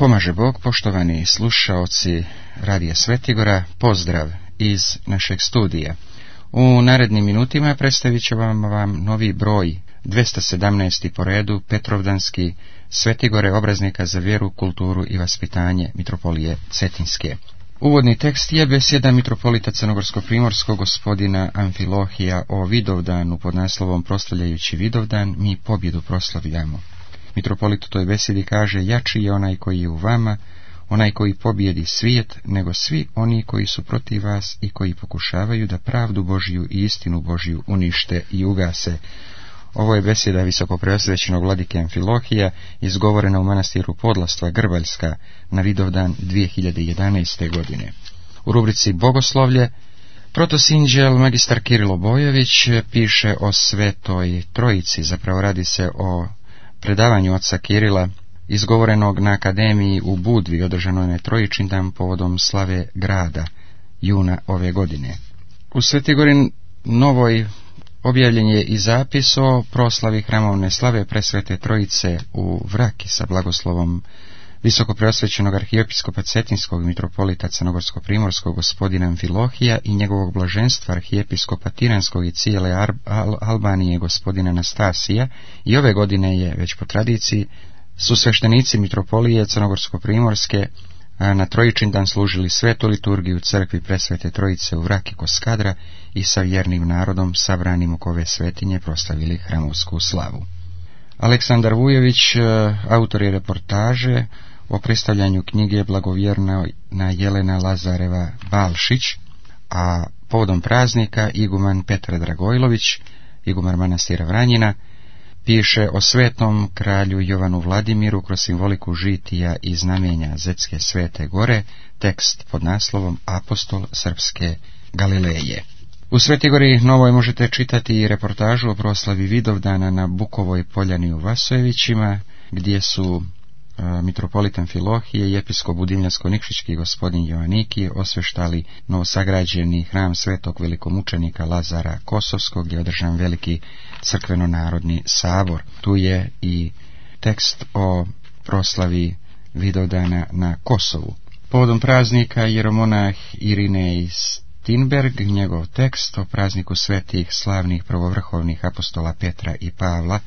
Pomaže Bog, poštovani slušaoci Radija Svetigora, pozdrav iz našeg studija. U narednim minutima predstavit ću vam novi broj, 217. po redu, Petrovdanski Svetigore, obraznika za vjeru, kulturu i vaspitanje Mitropolije Cetinske. Uvodni tekst je besjeda mitropolita Crnogorsko-primorskog gospodina Amfilohija o Vidovdanu pod naslovom Proslavljajući Vidovdan, mi pobjedu proslavljamo. Mitropolit u toj besedi kaže: jači je onaj koji je u vama, onaj koji pobjedi svijet, nego svi oni koji su protiv vas i koji pokušavaju da pravdu Božiju i istinu Božiju unište i ugase. Ovo je beseda visokopreosvećenog vladike Amfilohija, izgovorena u manastiru Podlastva Grbaljska na Vidovdan 2011. godine. U rubrici Bogoslovlje protosinđel magistar Kirilo Bojović piše o Svetoj Trojici, zapravo radi se o predavanju oca Kirila izgovorenog na akademiji u Budvi, održanoj na Trojičindan povodom slave grada juna ove godine. U Svetigori Novoj objavljen je i zapis o proslavi hramovne slave Presvete Trojice u Vraki sa blagoslovom visokopreosvećenog arhijepiskopa Cetinskog mitropolita Crnogorsko-primorskog gospodina Amfilohija i njegovog blaženstva arhijepiskopa Tiranskog i cijele Albanije gospodina Anastasija. I ove godine je, već po tradiciji, su sveštenici mitropolije Crnogorsko-primorske na Trojičindan služili svetu liturgiju u crkvi Presvete Trojice u Vraki kod Skadra i sa vjernim narodom sabranim oko ove svetinje proslavili hramovsku slavu. Aleksandar Vujović, autor je reportaže o predstavljanju knjige Blagovjerna Jelena Lazareva Balšić, a povodom praznika iguman Petar Dragojlović, igumar manastira Vranjina, piše o svetom kralju Jovanu Vladimiru kroz simboliku žitija i znamenja Zetske Svete Gore, tekst pod naslovom Apostol Srpske Galileje. U Svetigori Novoj možete čitati i reportažu o proslavi Vidovdana na Bukovoj poljani u Vasojevićima, gdje su mitropolit Amfilohije i episkop Budimljansko-Nikšićki gospodin Joaniki osveštali novosagrađeni hram svetog velikomučenika Lazara Kosovskog, gdje je održan veliki crkveno-narodni sabor. Tu je i tekst o proslavi Vidovdana na Kosovu. Povodom praznika jeromonah Irinej Tinberg, njegov tekst o prazniku svetih slavnih prvovrhovnih apostola Petra i Pavla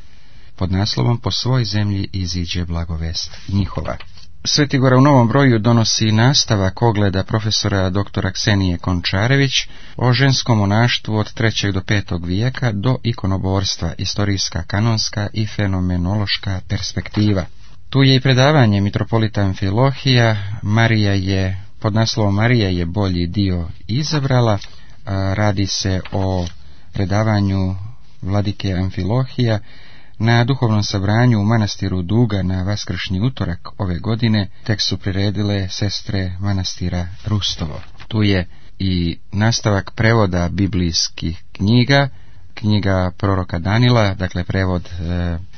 pod naslovom Po svoj zemlji iziđe blagovest njihova. Svetigora u novom broju donosi nastavak ogleda profesora dr. Ksenije Končarević o ženskom monaštvu od 3. do 5. vijeka do ikonoborstva, istorijska, kanonska i fenomenološka perspektiva. Tu je i predavanje mitropolita Amfilohija, Marija je, pod naslovom Marija je bolji dio izabrala. Radi se o predavanju vladike Amfilohija na duhovnom sabranju u manastiru Duga na vaskršnji utorak ove godine. Tekst su priredile sestre manastira Rustovo. Tu je i nastavak prevoda biblijskih knjiga, knjiga proroka Danila, dakle prevod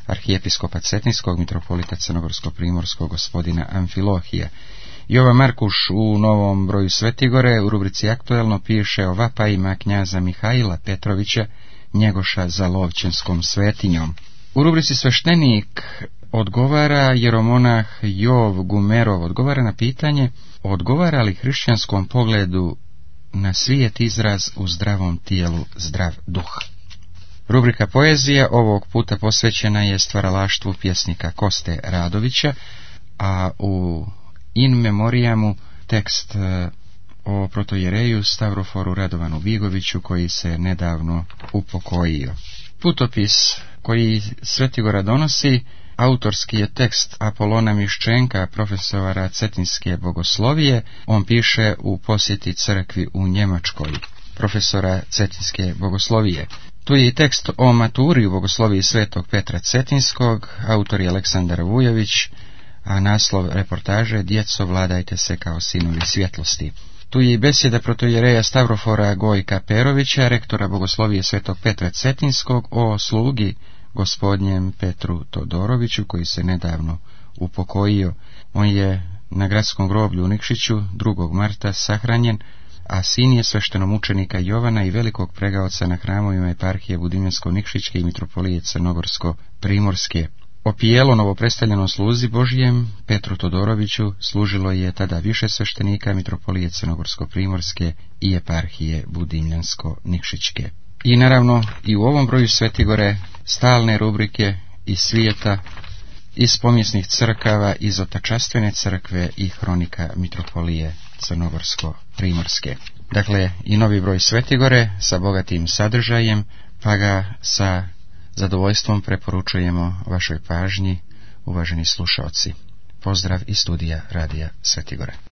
arhijepiskopa Cetinskog mitropolita Crnogorsko-primorskog gospodina Amfilohija. Jovan Markuš u novom broju Svetigore u rubrici Aktuelno piše o vapajima knjaza Mihajla Petrovića Njegoša za Lovćenskom svetinjom. U rubrici Sveštenik odgovara jeromonah Jov Gumerov, odgovara na pitanje: odgovara li hrišćanskom pogledu na svijet izraz u zdravom tijelu zdrav duh? Rubrika Poezija ovog puta posvećena je stvaralaštvu pjesnika Koste Radovića, a u in memoriamu tekst o protojereju Stavroforu Radovanu Vigoviću, koji se nedavno upokojio. Putopis koji Svetigora donosi autorski je tekst Apolona Miščenka, profesora Cetinske bogoslovije. On piše u posjeti crkvi u Njemačkoj, profesora Cetinske bogoslovije. Tu je i tekst o maturi u bogosloviji svetog Petra Cetinskog, autor je Aleksandar Vujović, a naslov reportaže Djeco, vladajte se kao sinovi svjetlosti. Tu je i besjeda protojereja Stavrofora Gojka Perovića, rektora bogoslovije svetog Petra Cetinskog, o slugi gospodnjem Petru Todoroviću, koji se nedavno upokojio. On je na gradskom groblju u Nikšiću 2. marta sahranjen, a sin je sveštenomučenika Jovana i velikog pregaoca na hramovima eparhije Budimljansko-Nikšićke i mitropolije Crnogorsko-Primorske. opijelo novopredstavljenom sluzi Božijem Petru Todoroviću služilo je tada više sveštenika mitropolije Crnogorsko-primorske i eparhije Budimljansko-Nikšićke. I naravno i u ovom broju Svetigore stalne rubrike iz svijeta, iz pomjesnih crkava, iz otačastvene crkve i hronika mitropolije Crnogorsko-primorske. Dakle, i novi broj Svetigore sa bogatim sadržajem, pa ga sa zadovoljstvom preporučujemo vašoj pažnji, uvaženi slušaoci. Pozdrav iz studija Radija Svetigora.